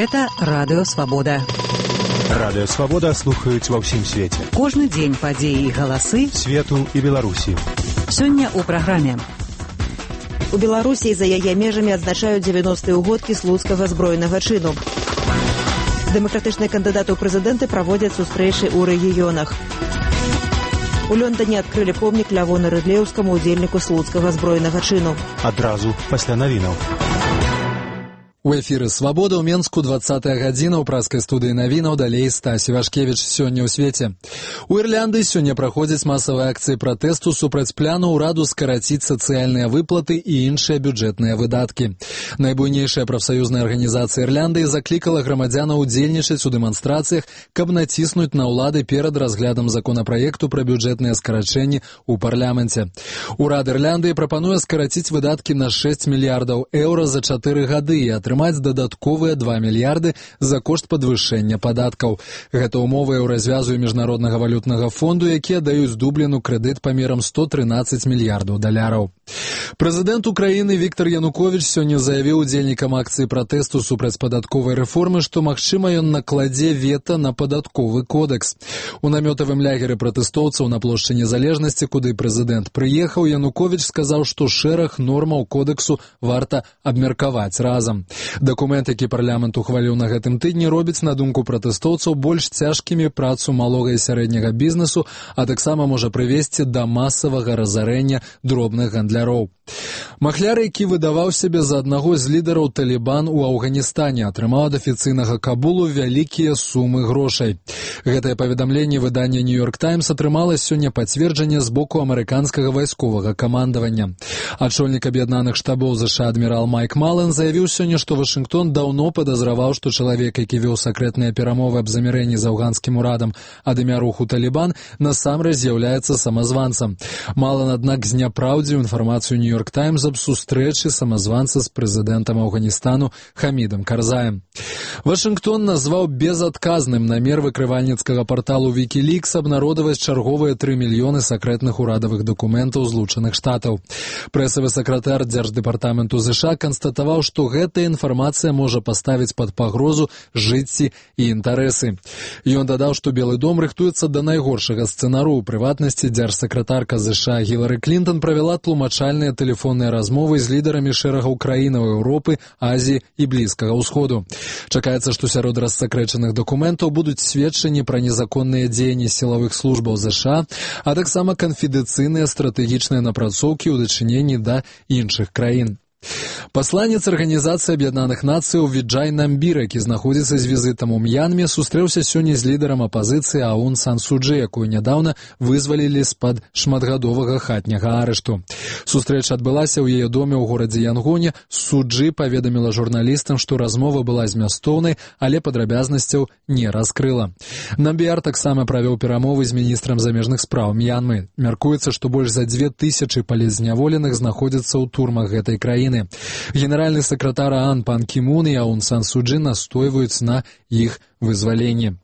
Гэта Радыё Свабода. Радыё Свабода слухаюць ва ўсім свеце. Кожны дзень падзеі і галасы свету і Беларусі. Сёння ў праграме. У Беларусі за яе межамі адзначаюць 90-й угодкі слуцкага збройнага чыну. Дэмакратычныя кандыдаты ў прэзідэнты праводзяць сустрэчы ў рэгіёнах. У Лондоне адкрылі помнік Лявону Рыдлеўскаму, удзельніку слуцкага збройнага чыну. Адразу пасля навінаў. У эфіры «Свабода» ў Менску 20-я гадзіна ў праскай студыі навінаў, далей Стась Івашкевіч. Сёння ў свеце. У Ірландыі сёння праходзяць масавыя акцыі пратэсту супраць пляну ўраду скараціць сацыяльныя выплаты і іншыя бюджэтныя выдаткі. Найбуйнейшая прафсаюзная арганізацыя Ірландыі заклікала грамадзянаў удзельнічаць у дэманстрацыях, каб націснуць на ўлады перад разглядам законапраекту пра бюджэтныя скарачэнні ў парламенце. Урад Ірландыі прапануе скараціць выдаткі на 6 мільярдаў еўра за 4 гады і атрымаць дадатковыя 2 мільярды за кошт падвышэння падаткаў. Гэта умовы еўразвязу і міжнароднага валютнага фонду, якія даюць Дубліну крэдыт памерам 113 мільярдаў даляраў. Прэзідэнт Украіны Віктор Януковіч сёння заявіў удзельнікам акцыі пратэсту супраць падатковай рэформы, што, магчыма, ён накладзе вета на падатковы кодэкс. У намётавым лягеры пратэстоўцаў на плошчы Незалежнасці, куды прэзідэнт прыехаў, Януковіч сказаў, што шэраг нормаў кодэксу варта абмеркаваць разам. Дакумент, які парламент ухваліў на гэтым тыдні, робіць, на думку пратэстоўцаў, больш цяжкімі працу малога і сярэдняга бізнесу, а таксама можа прывесці да масавага разарэння дробных гандляроў. Махляр, які выдаваў сябе за аднаго з лідараў Талібан у Афганістане, атрымаў ад афіцыйнага Кабулу вялікія сумы грошай. Гэтае паведамленне выдання «Нью-Йорк Таймс» атрымала сёння пацверджанне з боку амерыканскага вайсковага камандавання. Ачольнік аб'яднаных штабоў ЗША адмірал Майк Мален заявіў сёння, што Вашынгтон даўно падазраваў, што чалавек, які вёў сакрэтныя перамовы аб замірэнні з афганскім урадам ад імя руху Талібан, насамрэч з'яўляецца самазванцам. Мален, аднак, зняпраўдзіў інфармацыю «Нью-Йорк Таймс» аб сустрэчы самазванца з прэзідэнтам Афганістану Хамідам Карзаем. Вашынгтон назваў безадказным намер выкрывальніцкага парталу Wikileaks абнародаваць чарговыя 3 мільёны сакрэтных урадавых дакументаў Злучаных Штатаў. Прэсавы сакратар Дзярждэпартаменту ЗША канстатаваў, што гэтая інфармацыя можа паставіць пад пагрозу жыцці і інтарэсы. Ён дадаў, што Белы дом рыхтуецца да найгоршага сцэнару. У прыватнасці дзяржсакратарка ЗША Гілары Клінтон правяла тлумачальныя тэлефонныя размовы з лідарамі шэрагаў краінаў Еўропы, Азіі і Блізкага ўсходу. Чакаецца, што сярод рассакрэчаных дакументаў будуць сведчанні пра незаконныя дзеянні сілавых службаў ЗША, а таксама канфідэнцыйныя стратэгічныя напрацоўкі ў дачыненні да іншых краін. Пасланец Арганізацыі Аб'яднаных Нацыяў Віджай Намбір, які знаходзіцца з візітам у М'янме, сустрэўся сёння з лідарам апазіцыі Аун Сан Су Чжы, якую нядаўна вызвалілі з-пад шматгадовага хатняга арышту. Сустрэча адбылася ў яе доме ў горадзе Янгоне. Су Чжы паведаміла журналістам, што размова была змястоўнай, але падрабязнасцяў не раскрыла. Намбір таксама правёў перамовы з міністрам замежных спраў М'янмы. Мяркуецца, што больш за 2000 палітзняволеных знаходзяцца ў турмах гэтай краіны. Генеральны сакратар ААН Пан Кі Мун і Аун Сан Су Чжы настойваюць на іх вызваленні.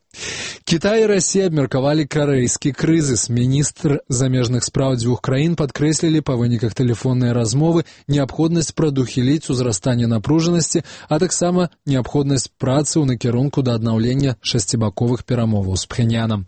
Кітай і Расія абмеркавалі карэйскі крызіс. Міністр замежных спраў дзвюх краін падкрэслілі па выніках тэлефоннай размовы неабходнасць прадухіліць узрастанне напружанасці, а таксама неабходнасць працы ў накірунку да аднаўлення шасцібаковых перамоваў з Пхеньянам.